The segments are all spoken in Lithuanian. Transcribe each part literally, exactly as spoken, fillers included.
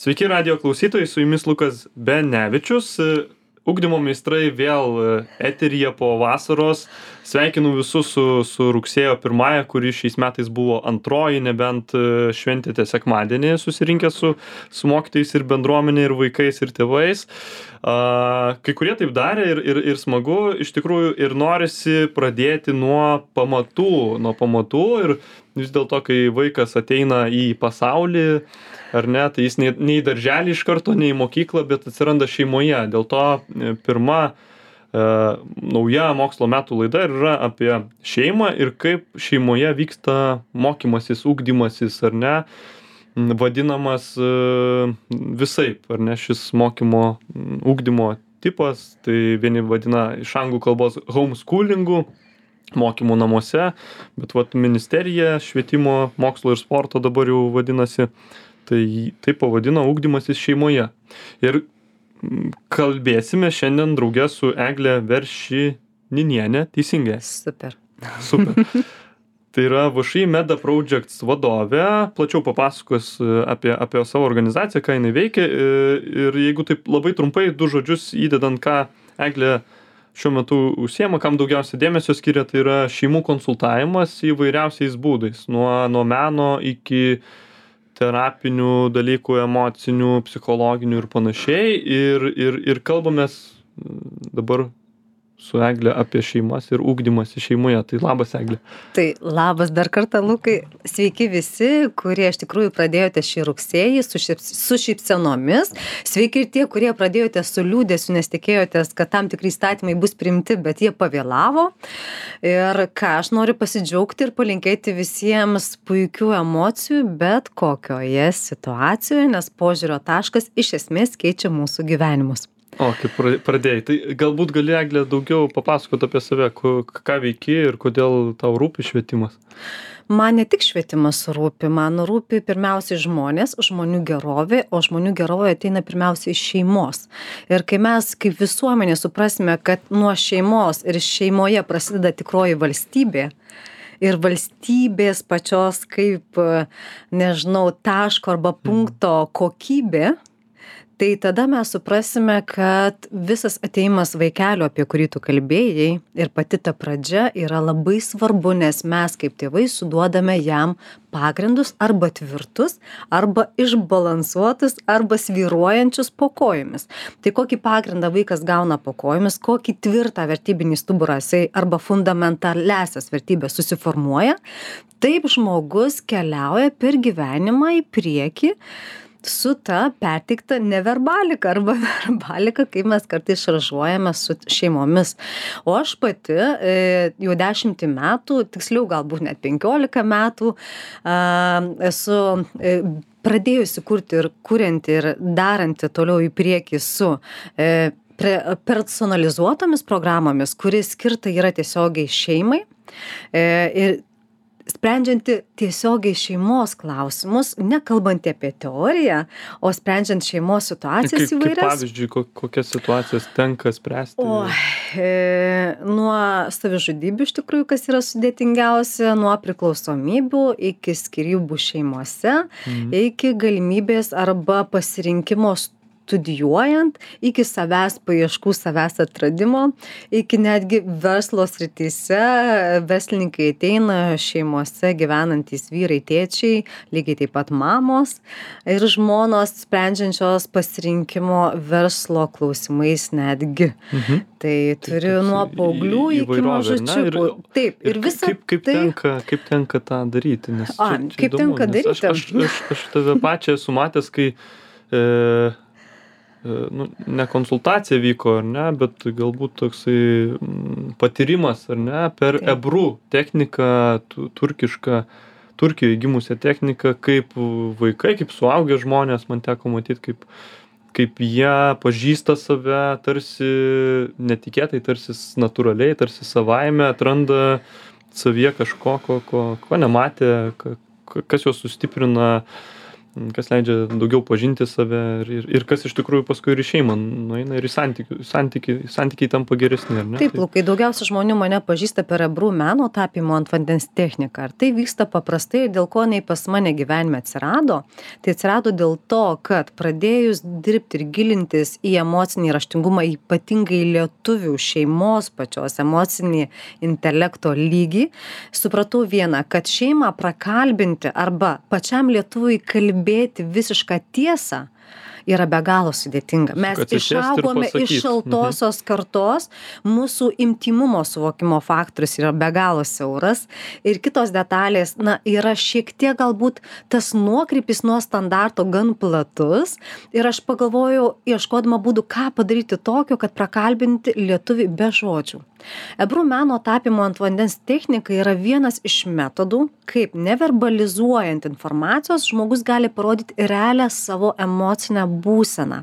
Sveiki radijo klausytojai, su jumis Lukas Benevičius. Ugdymo meistrai vėl eteryje po vasaros. Sveikinu visus su, su rugsėjo pirmąja, kuri šiais metais buvo antroji, nebent šventėte sekmadienį susirinkę su, su mokytojais ir bendruomenė, ir vaikais, ir tėvais. A, kai kurie taip darė ir, ir, ir smagu, iš tikrųjų, ir norisi pradėti nuo pamatų, nuo pamatų ir vis dėlto, kai vaikas ateina į pasaulį, ar ne, tai jis nei, nei darželį iš karto, nei mokyklą, bet atsiranda šeimoje. Dėl to pirma e, nauja mokslo metų laida yra apie šeimą ir kaip šeimoje vyksta mokymasis, ugdymasis, ar ne, vadinamas e, visaip, ar ne, šis mokymo, ugdymo tipas, tai vieni vadina iš anglų kalbos homeschoolingu, mokymų namuose, bet vat ministerija švietimo, mokslo ir sporto dabar jau vadinasi, tai tai pavadino ugdymasis šeimoje. Ir kalbėsime šiandien drauge su Egle Veršininiene, teisingai? Super. Super. Tai yra V Š I Meda Projects vadovė, plačiau papasakos apie, apie savo organizaciją, ką jinai veikia. Ir jeigu taip labai trumpai, du žodžius įdedant, ką Eglė šiuo metu užsiema, kam daugiausia dėmesio skiria, tai yra šeimų konsultavimas įvairiausiais būdais, nuo, nuo meno iki terapinių dalykų, emocinių, psichologinių ir panašiai. Ir, ir, ir kalbamės dabar su Egle apie šeimas ir ugdymąsi šeimoje. Tai labas, Egle. Tai labas dar kartą, Lukai. Sveiki visi, kurie iš tikrųjų pradėjote šį rugsėjį su, šip, su šypsenomis. Sveiki ir tie, kurie pradėjote su liūdėsiu, nes tikėjotės, kad tam tikri įstatymai bus priimti, bet jie pavėlavo. Ir ką aš noriu pasidžiaugti ir palinkėti visiems puikių emocijų, bet kokioje situacijoje, nes požiūrio taškas iš esmės keičia mūsų gyvenimus. O, kaip pradėjai. Tai galbūt gali, Egle, daugiau papasakoti apie save, ką veiki ir kodėl tau rūpi švietimas? Man ne tik švietimas rūpi, man rūpi pirmiausiai žmonės, žmonių gerovė, o žmonių gerovė ateina pirmiausiai iš šeimos. Ir kai mes kaip visuomenė suprasime, kad nuo šeimos ir šeimoje prasideda tikroji valstybė, ir valstybės pačios kaip, nežinau, taško arba punkto kokybė, tai tada mes suprasime, kad visas ateimas vaikelio, apie kurį tu kalbėjai, ir pati ta pradžia yra labai svarbu, nes mes kaip tėvai suduodame jam pagrindus arba tvirtus, arba išbalansuotus, arba svyruojančius po kojomis. Tai kokį pagrindą vaikas gauna po kojomis, kokį tvirtą vertybinį stuburą jisai arba fundamentalesias vertybės susiformuoja, taip žmogus keliauja per gyvenimą į priekį, su ta perteikta neverbalika arba verbalika, kaip mes kartais šaržuojame su šeimomis. O aš pati e, jau dešimtį metų, tiksliau galbūt net penkiolika metų, e, esu e, pradėjusi kurti ir kurianti ir daranti toliau į priekį su e, pre, personalizuotomis programomis, kuris skirta yra tiesiogiai šeimai. E, ir sprendžianti tiesiogiai šeimos klausimus, nekalbant apie teoriją, o sprendžiant šeimos situacijas kaip, įvairias. Kaip pavyzdžiui, kokias situacijas tenka spręsti? O, e, nuo savižudybių iš tikrųjų, kas yra sudėtingiausia, nuo priklausomybių iki skyrybų šeimose, mhm. iki galimybės arba pasirinkimo studijuojant, iki savęs paieškų, savęs atradimo, iki netgi verslo srityse, verslininkai ateina šeimose gyvenantys vyrai, tėčiai, lygiai taip pat mamos ir žmonos sprendžiančios pasirinkimo verslo klausimais netgi. Mhm. Tai turiu tai, nuo paauglių iki mažučiukų. Taip, ir, ir visa kaip, kaip, tai... tenka, kaip tenka tą daryti? Nes A, čia, čia kaip įdomu, tenka daryti? Aš, aš, aš, aš tave pačią esu matęs, kai e, nu, ne konsultacija vyko, ar ne, bet galbūt toksai patyrimas, ar ne, per Taip. Ebru techniką, turkišką, Turkijoje gimusią techniką, kaip vaikai, kaip suaugę žmonės, man teko matyti, kaip, kaip jie pažįsta save, tarsi netikėtai, tarsi natūraliai, tarsi savaime atranda savyje kažko, ko, ko, ko nematė, kas juos sustiprina kas leidžia daugiau pažinti save ir, ir, ir kas iš tikrųjų paskui ir į šeimą nueina ir į santykių, santykiai, santykiai tampa geresni, ar ne? Taip, Lukai, daugiausia žmonių mane pažįsta per Ebru meno tapymo ant vandens techniką. Ar tai vyksta paprastai, dėl ko nei pas mane gyvenime atsirado? Tai atsirado dėl to, kad pradėjus dirbti ir gilintis į emocinį raštingumą, ypatingai lietuvių šeimos pačios emocinį intelekto lygį, supratau vieną, kad šeimą prakalbinti arba pačiam lietuvui kalbėti kalbėti visišką tiesą yra be galo sudėtinga. Mes išaugome iš šaltosios kartos, mūsų intymumo suvokimo faktorius yra be galo siauras ir kitos detalės, na, yra šiek tiek galbūt tas nuokrypis nuo standarto gan platus ir aš pagalvojau, ieškodama būdų, ką padaryti tokio, kad prakalbinti lietuvį be žodžių. Ebru meno tapymo ant vandens technika yra vienas iš metodų, kaip neverbalizuojant informacijos žmogus gali parodyti realią savo emocinę būseną.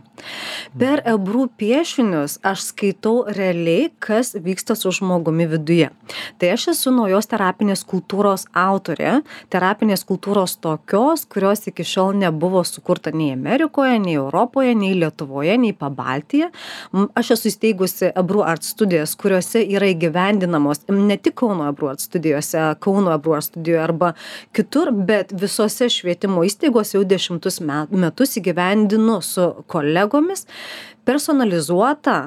Per Ebru piešinius aš skaitau realiai, kas vyksta su žmogumi viduje. Tai aš esu naujos terapinės kultūros autorė, terapinės kultūros tokios, kurios iki šiol nebuvo sukurta nei Amerikoje, nei Europoje, nei Lietuvoje, nei Pabaltyje. Aš esu įsteigusi Ebru Art studijas, kuriuose yra įgyvendinamos ne tik Kauno Ebru Art studijose, Kauno Ebru Art studijoje arba kitur, bet visose švietimo įstaigose jau dešimtus metus įgyvendinu su kolegomis personalizuotą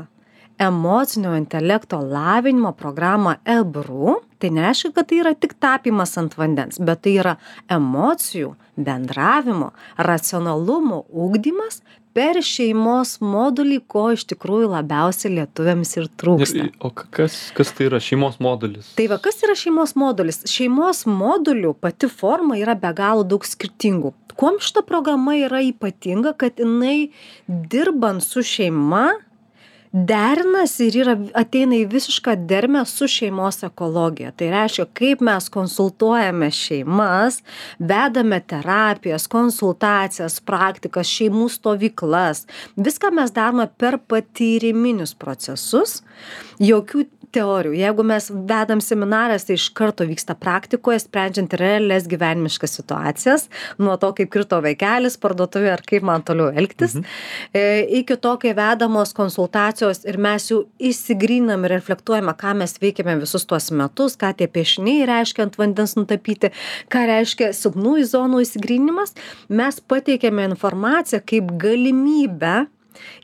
emocinio intelekto lavinimo programą Ebru. Tai nereiškia, kad tai yra tik tapymas ant vandens, bet tai yra emocijų, bendravimo, racionalumo ugdymas per šeimos modulį, ko iš tikrųjų labiausiai lietuviams ir trūksta. Ir, o kas, kas tai yra šeimos modulis? Tai va, kas yra šeimos modulis? Šeimos modulių pati forma yra be galo daug skirtingų. Kuom šita programa yra ypatinga, kad jinai dirbant su šeima derinasi ir yra, ateina į visišką dermę su šeimos ekologija. Tai reiškia, kaip mes konsultuojame šeimas, vedame terapijas, konsultacijas, praktikas, šeimų stovyklas. Viską mes darome per patyriminius procesus, jokių teorijų. Jeigu mes vedam seminaras, tai iš karto vyksta praktikoje, sprendžiant realias gyvenimiškas situacijas, nuo to, kaip krito vaikelis parduotuvėje ar kaip man toliau elgtis, mhm. e, iki to, kai vedamos konsultacijos ir mes jau įsigrinam ir reflektuojame, ką mes veikiame visus tuos metus, ką tie piešiniai reiškia ant vandens nutapyti, ką reiškia silpnųjų zonų įsigrinimas, mes pateikėme informaciją kaip galimybę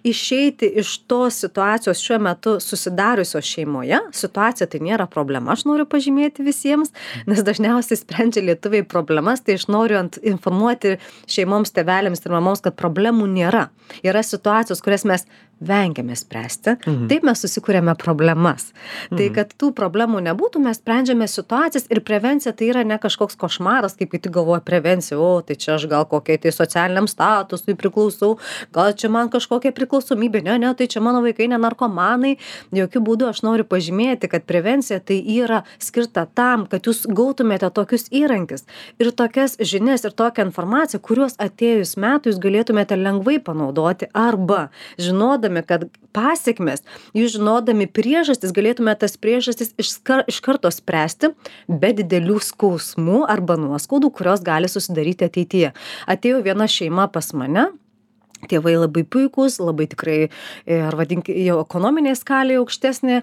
išeiti iš tos situacijos šiuo metu susidariusios šeimoje. Situacija tai nėra problema, aš noriu pažymėti visiems, nes dažniausiai sprendžia lietuviai problemas, tai aš noriu ant informuoti šeimoms, tėveliams ir mamoms, kad problemų nėra. Yra situacijos, kurias mes vengiame spręsti, mhm. taip mes susikūrėme problemas. Mhm. Tai, kad tų problemų nebūtų, mes sprendžiame situacijas ir prevencija tai yra ne kažkoks košmaras, kaip kiti galvoja prevencija, o tai čia aš gal kokiai tai socialiniam statusui priklausau, gal čia man kažkokia priklausomybė, ne, ne, tai čia mano vaikai ne narkomanai. Jokių būdų aš noriu pažymėti, kad prevencija tai yra skirta tam, kad jūs gautumėte tokius įrankius ir tokias žinias ir tokią informaciją, kuriuos atėjus metų jūs galėtumėte lengvai panaudoti arba žinodami, kad pasiekmes, jūs žinodami priežastis, galėtume tas priežastis iš, iš karto spręsti be didelių skausmų arba nuoskaudų, kurios gali susidaryti ateityje. Atėjo viena šeima pas mane, tėvai labai puikūs, labai tikrai, ar vadinkime, jau ekonominė skalė aukštesnė,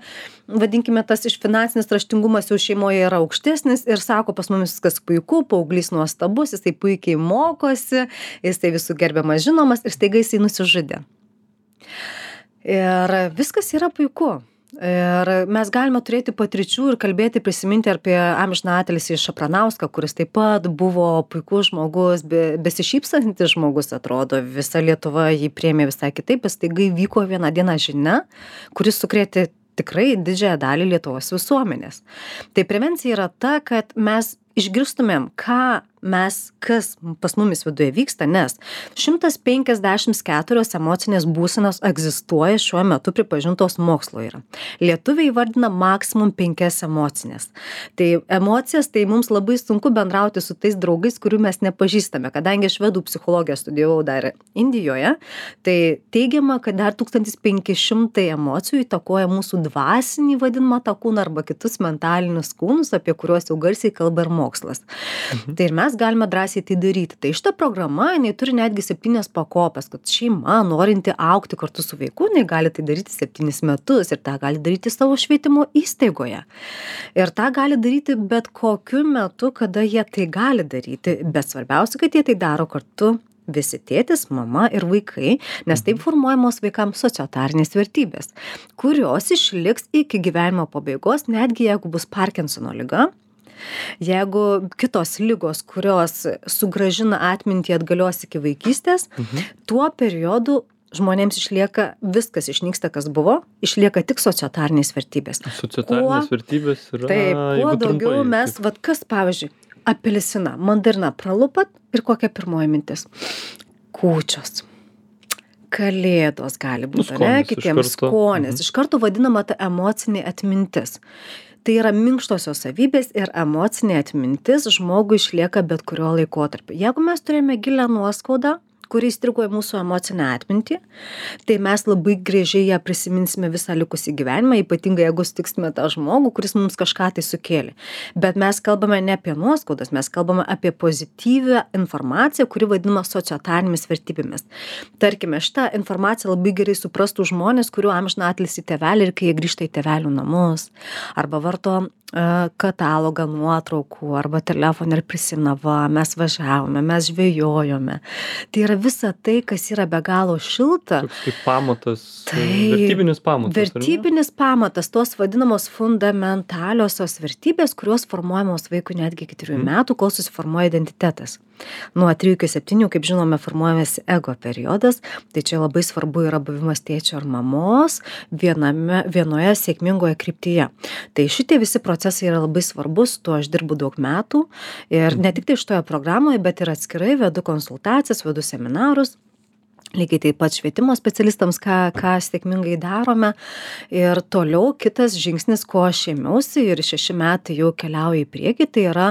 vadinkime, tas iš finansinis raštingumas jau šeimoje yra aukštesnis ir sako, pas mumis viskas puiku, paauglys nuostabus, jisai puikiai mokosi, jisai visų gerbiamas žinomas ir staiga jisai nusižudė. Ir viskas yra puiku. Ir mes galime turėti patirčių ir kalbėti, prisiminti apie amžiną atilsį Šapranauską, kuris taip pat buvo puikus žmogus, be, besišypsantis žmogus, atrodo, visa Lietuva jį priėmė visai kitaip, bet staiga įvyko vieną dieną žinia, kuris sukrėtė tikrai didžiąją dalį Lietuvos visuomenės. Tai prevencija yra ta, kad mes išgirstumėm, ką mes, kas pas mumis viduje vyksta, nes šimtas penkiasdešimt keturios emocinės būsenos egzistuoja šiuo metu pripažintos mokslo yra. Lietuviai vardina maksimum penkias emocinės. Tai emocijas, tai mums labai sunku bendrauti su tais draugais, kurių mes nepažįstame, kadangi aš švedų psichologiją studijavau dar Indijoje, tai teigiama, kad dar tūkstantis penki šimtai emocijų įtakoja mūsų dvasinį vadinamą tą kūną arba kitus mentalinius kūnus, apie kuriuos jau garsiai kalba ir mokslas. Mhm. Tai ir mes mes galime drąsiai tai daryti. Tai šita programa, jinai turi netgi septynias pakopas, kad šeima, norinti augti kartu su vaiku, jinai gali tai daryti septynis metus ir tą gali daryti savo švietimo įstaigoje. Ir tą gali daryti bet kokiu metu, kada jie tai gali daryti, bet svarbiausia, kad jie tai daro kartu visi tėtis, mama ir vaikai, nes taip formuojamos vaikams sociotarinės vertybės, kurios išliks iki gyvenimo pabaigos, netgi jeigu bus Parkinsono liga, jeigu kitos ligos, kurios sugrąžina atmintį atgalios iki vaikystės, mhm. tuo periodu žmonėms išlieka, viskas išnyksta, kas buvo, išlieka tik sociotarinės vertybės. Sociotarinės kuo, vertybės yra... Taip, kuo daugiau trumpai, mes, kaip... vat kas pavyzdžiui, apelsiną, mandariną pralupat ir kokia pirmoji mintis? Kūčios. Kalėdos gali būti, nu, ne? Kitiems skonės. Mhm. Iš karto vadinama ta emocinė atmintis. Tai yra minkštosios savybės ir emocinė atmintis žmogui išlieka bet kurio laikotarpio. Jeigu mes turime gilią nuoskaudą, kuri įstrigo į mūsų emocinę atmintį, tai mes labai gražiai ją prisiminsime visą likusį gyvenimą, ypatingai jeigu sutiksime tą žmogų, kuris mums kažką tai sukėlė. Bet mes kalbame ne apie nuoskaudas, mes kalbame apie pozityvią informaciją, kuri vadinama sociotarinėmis vertybėmis. Tarkime, šitą informaciją labai gerai suprastų žmonės, kurių amžiną atilsį tėvelį ir kai jie grįžta į tėvelių namus, arba varto katalogą nuotraukų arba telefoną ir prisimena, va, mes važiavome, mes žvejojome. Tai yra visa tai, kas yra be galo šilta. Toks kaip pamatas, tai, vertybinis pamatas. Vertybinis pamatas, tos vadinamos fundamentaliosios vertybės, kurios formuojamos vaikui netgi iki trijų metų, kol susiformuoja identitetas. Nuo trijų iki septynių, kaip žinome, formuojamės ego periodas, tai čia labai svarbu yra buvimas tėčio ar mamos viename, vienoje sėkmingoje kryptyje. Tai šitie visi procesai yra labai svarbus, tuo aš dirbu daug metų ir ne tik tai šitoje programoje, bet ir atskirai vedu konsultacijas, vedu seminarus. Lygiai taip pat švietimo specialistams, ką, ką sėkmingai darome. Ir toliau kitas žingsnis, ko aš ėmiausi ir šeši metai jau keliauja į priekį, tai yra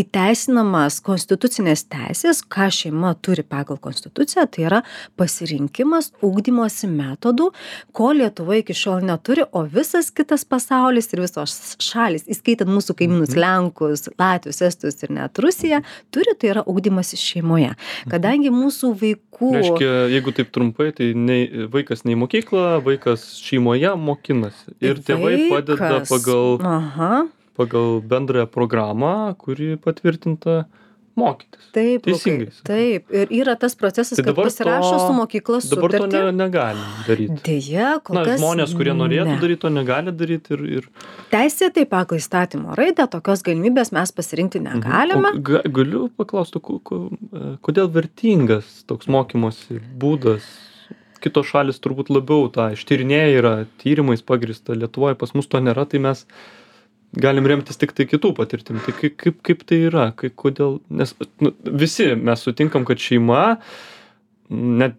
įteisinamas konstitucinės teisės, ką šeima turi pagal konstituciją, tai yra pasirinkimas ugdymosi metodų, ko Lietuva iki šiol neturi, o visas kitas pasaulis ir visos šalis, įskaitant mūsų kaimynus Lenkus, Latvius, Estus ir net Rusiją, turi, tai yra ugdymasis šeimoje. Kadangi mūsų vaikų... Reiškia, jeigu taip trumpai, tai nei, vaikas nei mokykla, vaikas šeimoje mokinasi. Ir tėvai Vaikas. padeda pagal, Aha. pagal bendrąją programą, kuri patvirtinta mokytis. Taip, teisingai. Lukai, taip. Ir yra tas procesas, Tai kad dabar pasirašo to- su mokyklos Dabar to sutartį. ne, negalim daryti. Deja, kol Na, kas žmonės, kurie norėtų ne. daryti, to negali daryti ir... ir... Teisėtai pagal įstatymo raidę tokios galimybės mes pasirinkti negalime. O ga, galiu paklausti, ko, ko, kodėl vertingas toks mokymosi būdas? Kitos šalis turbūt labiau tą ištyrinėja, yra tyrimais pagrįsta, Lietuvoje pas mus to nėra, tai mes galim remtis tik tai kitų patirtim. Tai kaip, kaip, kaip tai yra? Kaip, kodėl? Nes nu, visi mes sutinkam, kad šeima, net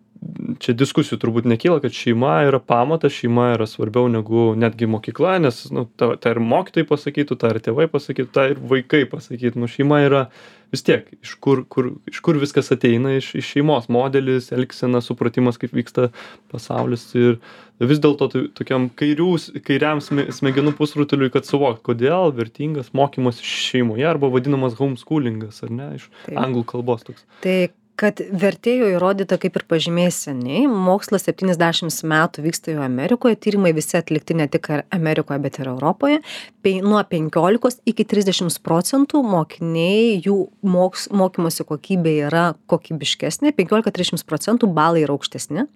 čia diskusijų turbūt nekyla, kad šeima yra pamatas, šeima yra svarbiau negu netgi mokykla, nes nu, ta, ta ir mokytojai pasakytų, ta ir tėvai pasakytų, ta ir vaikai pasakytų. Nu, šeima yra vis tiek, iš kur, kur, iš kur viskas ateina, iš, iš šeimos modelis, elgsena, supratimas, kaip vyksta pasaulis. Ir vis dėlto to, tokiam kairių, kairiam sme- smegenų pusrutuliui, kad suvokti, kodėl vertingas mokymas šeimoje arba vadinamas homeschoolingas, ar ne, iš Taip. anglų kalbos toks. Tai kad vertėjo įrodyta, kaip ir pažymėjai seniai, mokslas septyniasdešimt metų vyksta jau Amerikoje, tyrimai visi atlikti ne tik Amerikoje, bet ir Europoje. Pe, nuo penkiolikos iki trisdešimt procentų mokiniai, jų moks, mokymosi kokybė yra kokybiškesnė, penkiolika trisdešimt procentų balai yra aukštesni.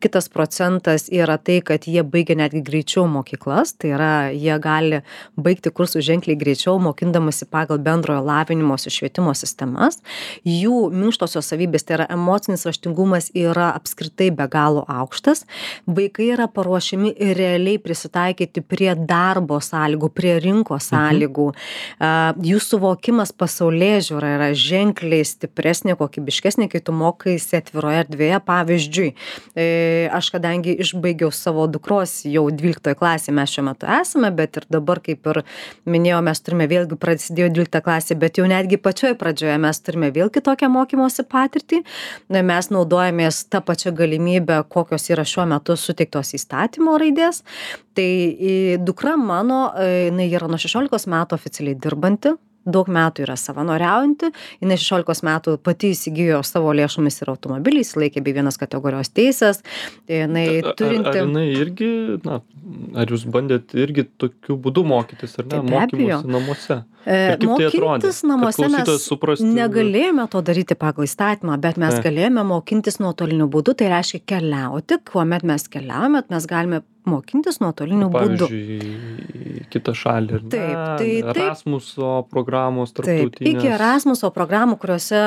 Kitas procentas yra tai, kad jie baigia netgi greičiau mokyklas, tai yra jie gali baigti kursus ženkliai greičiau, mokindamasi pagal bendrojo lavinimosi švietimo sistemas. Jų minkštosios savybės, tai yra emocinis raštingumas, yra apskritai be galo aukštas. Vaikai yra paruošiami realiai prisitaikyti prie darbo sąlygų, prie rinkos sąlygų. Mhm. Jų suvokimas pasaulėžiūra yra ženkliai stipresnė, kokybiškesnė, kai tu mokaisi atviroje erdvėje. Pavyzdžiui, aš kadangi išbaigiau savo dukros jau dvyliktoje klasėje, mes šiuo metu esame, bet ir dabar, kaip ir minėjau, mes turime vėlgi prasidėjo dvylikta klasė, bet jau netgi pačioje pradžioje mes turime vėl kitokią mokymosi patirtį. Mes naudojamės tą pačią galimybę, kokios yra šiuo metu suteiktos įstatymo raidės. Tai dukra mano, jinai yra nuo šešiolikos metų oficialiai dirbanti daug metų yra savanoriaujanti, jinai šešiolikos metų pati įsigijo savo lėšomis ir automobilį, įsilaikė bei vienas kategorijos teisės. Jinai turinti... Ar, ar jinai irgi, na, ar jūs bandėt irgi tokiu būdu mokytis, ar ne, mokymusi namuose? E, mokintis namuose mes suprasti... negalėjome to daryti pagal įstatymą, bet mes ne. galėjome mokintis nuotoliniu būdu, tai reiškia keliauti, kuomet mes keliaujame, mes galime mokintis nuotoliniu būdu. Pavyzdžiui, kitą šalį, ar ne? Taip, tai, Erasmuso programos tarptautinės. Taip, iki Erasmuso programų, kuriuose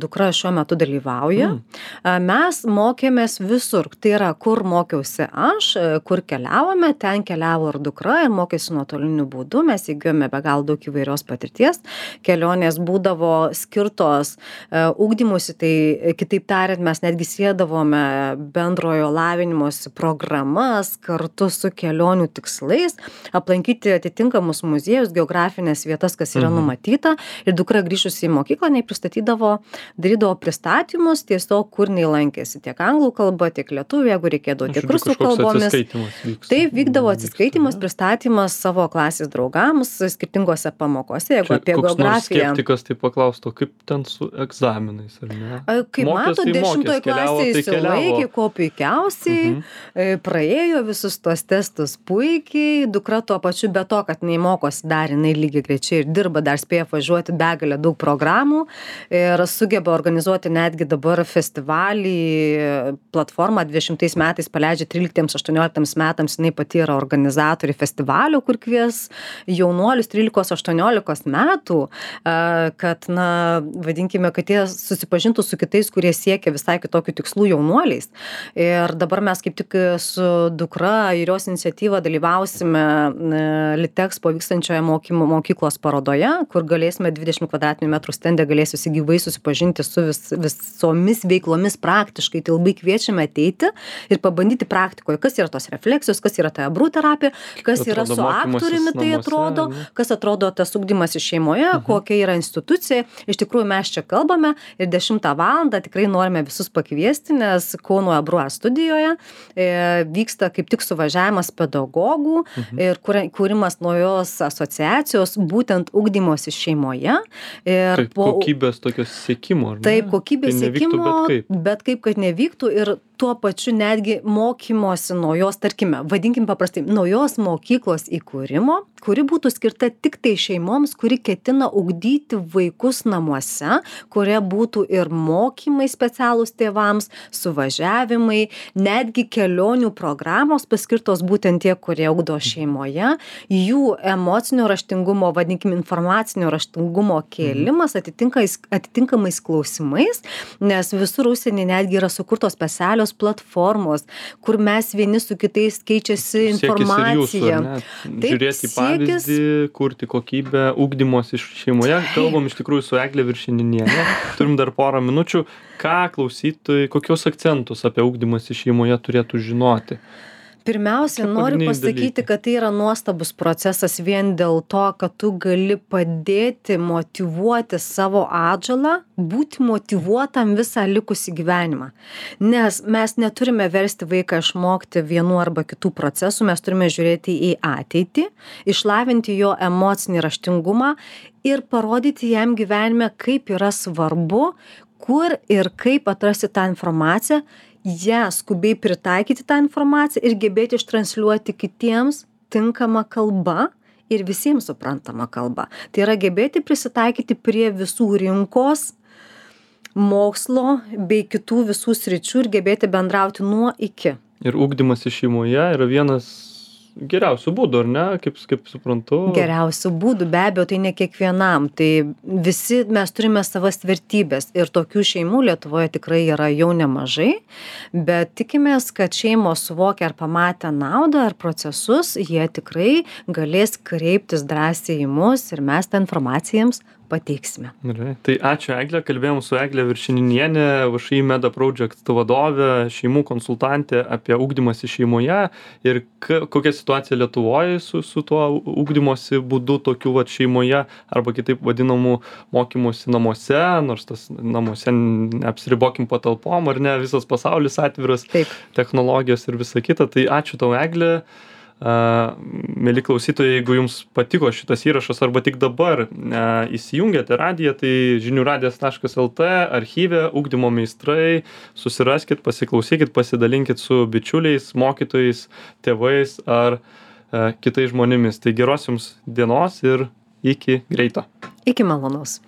dukra šiuo metu dalyvauja, mm. mes mokėmės visur. Tai yra, kur mokiausi aš, kur keliavome, ten keliavo ir dukra ir mokėsi nuotoliniu būdu. Mes įgijome be gal daug įvairios patirties. Kelionės būdavo skirtos uh, ugdymusi, tai kitaip tariant, mes netgi siedavome bendrojo lavinimosi programas kartu su kelionių tikslais, aplankyti atitinkamus muziejus, geografinės vietas, kas yra mhm. numatyta. Ir dukra grįžusi į mokyklą, nei pristatydavo, darydavo pristatymus tiesiog, kur nei lankėsi. Tiek anglų kalba, tiek lietuvių, jeigu reikėdavo tiek rusų kalbomis. Taip, vykdavo atsiskaitimas, pristatymas savo klasės draugams skirtingose pamokose, jeigu čia apie geografiją. Skeptikas tai paklaustų, kaip ten su egzaminais, ar ne? Kaip mato, dešimtoje klasėje įsilaikė, ko puikiausiai, mhm. praėjo visus tuos testus puikiai, dukra tuo pačiu be to, kad jinai mokosi dar, jinai lygiai grečiai ir dirba, dar spėja važiuoti begalę daug programų ir sugeba organizuoti netgi dabar festivalį, platformą dvidešimtais metais paleidžia tryliktiems aštuonioliktiems metams, jinai pati yra organizatorė festivalio, kur kvies jaunuolius trylikos aštuoniolikos metų, kad, na, vadinkime, kad jie susipažintų su kitais, kurie siekia visai kitokių tikslų jaunuoliais. Ir dabar mes kaip tik su dukra ir jos iniciatyva dalyvausime Litexpo vykstančioje mokymo mokyklos parodoje, kur galėsime dvidešimt kvadratinių metrų stende galės visi gyvai susipažinti su vis, visomis veiklomis praktiškai. Tai labai kviečiame ateiti ir pabandyti praktikoje, kas yra tos refleksijos, kas yra ta abrų terapija, kas yra su aktoriumi tai atrodo, kas atrodo tas ugdymas iš šeimoje, mhm. kokia yra institucija. Iš tikrųjų mes čia kalbame ir dešimtą valandą tikrai norime visus pakviesti, nes Kauno Abrua studijoje e, vyksta kaip tik suvažiavimas pedagogų mhm. ir kūrimas naujos asociacijos, būtent ugdymosi šeimoje. Ir taip, po... kokybės tokios siekimo, ar ne? Taip, kokybės tai siekimo, bet kaip. bet kaip, kad nevyktų ir tuo pačiu netgi mokymosi naujos, tarkime, vadinkim paprastai, naujos mokyklos įkūrimo, kuri būtų skirta tik tai šeimoms, kuri ketina ugdyti vaikus namuose, kurie būtų ir mokymai specialūs tėvams, suvažiavimai, netgi kelionių programos paskirtos būtent tie, kurie ugdo šeimoje, jų emocinio raštingumo, vadinkim, informacinio raštingumo kėlimas atitinkamais, atitinkamais klausimais, nes visur užsienį netgi yra sukurtos specialios platformos, kur mes vieni su kitais keičiasi informacija. Taip, žiūrėti pavyzdį, kurti kokybę, ugdymos iš šeimoje. Kalbam iš tikrųjų su Egle Viršininiene. Turim dar porą minučių. Ką klausytojai, kokius akcentus apie ugdymas iš šeimoje turėtų žinoti? Pirmiausia, noriu pasakyti, kad tai yra nuostabus procesas vien dėl to, kad tu gali padėti motyvuoti savo atžalą, būti motyvuotam visą likusį gyvenimą. Nes mes neturime versti vaiką išmokti vienų arba kitų procesų, mes turime žiūrėti į ateitį, išlavinti jo emocinį raštingumą ir parodyti jam gyvenime, kaip yra svarbu, kur ir kaip atrasti tą informaciją, ją skubiai pritaikyti tą informaciją ir gebėti ištransliuoti kitiems tinkamą kalbą ir visiems suprantamą kalbą. Tai yra gebėti prisitaikyti prie visų rinkos, mokslo bei kitų visų sričių ir gebėti bendrauti nuo iki. Ir ugdymas iš šeimoje yra vienas geriausių būdų, ar ne? Kaip, kaip suprantu. Geriausių būdų, be abejo, tai ne kiekvienam. Tai visi mes turime savas vertybės ir tokių šeimų Lietuvoje tikrai yra jau nemažai, bet tikimės, kad šeimos suvokia ar pamatę naudą ar procesus, jie tikrai galės kreiptis drąsiai į mus ir mes tą informaciją jiems pateiksime. Gerai. Tai ačiū Egle, kalbėjom su Egle Viršininiene, V Š I Meda Project vadovė, šeimų konsultantė apie ugdymąsi šeimoje ir k- kokia situacija Lietuvoje su, su tuo ugdymosi būdu tokiu vat šeimoje arba kitaip vadinamų mokymosi namuose, nors tas namuose neapsiribokim patalpom, ar ne, visas pasaulis atviras, taip, technologijos ir visa kita. Tai ačiū tau Egle. Mėly klausytojai, jeigu jums patiko šitas įrašas arba tik dabar įsijungėte radiją, tai žinių radijas taškas el tė archyve ugdymo meistrai, susiraskit, pasiklausykit, pasidalinkit su bičiuliais, mokytojais, tėvais ar kitais žmonėmis. Tai geros jums dienos ir iki greito. Iki malonaus.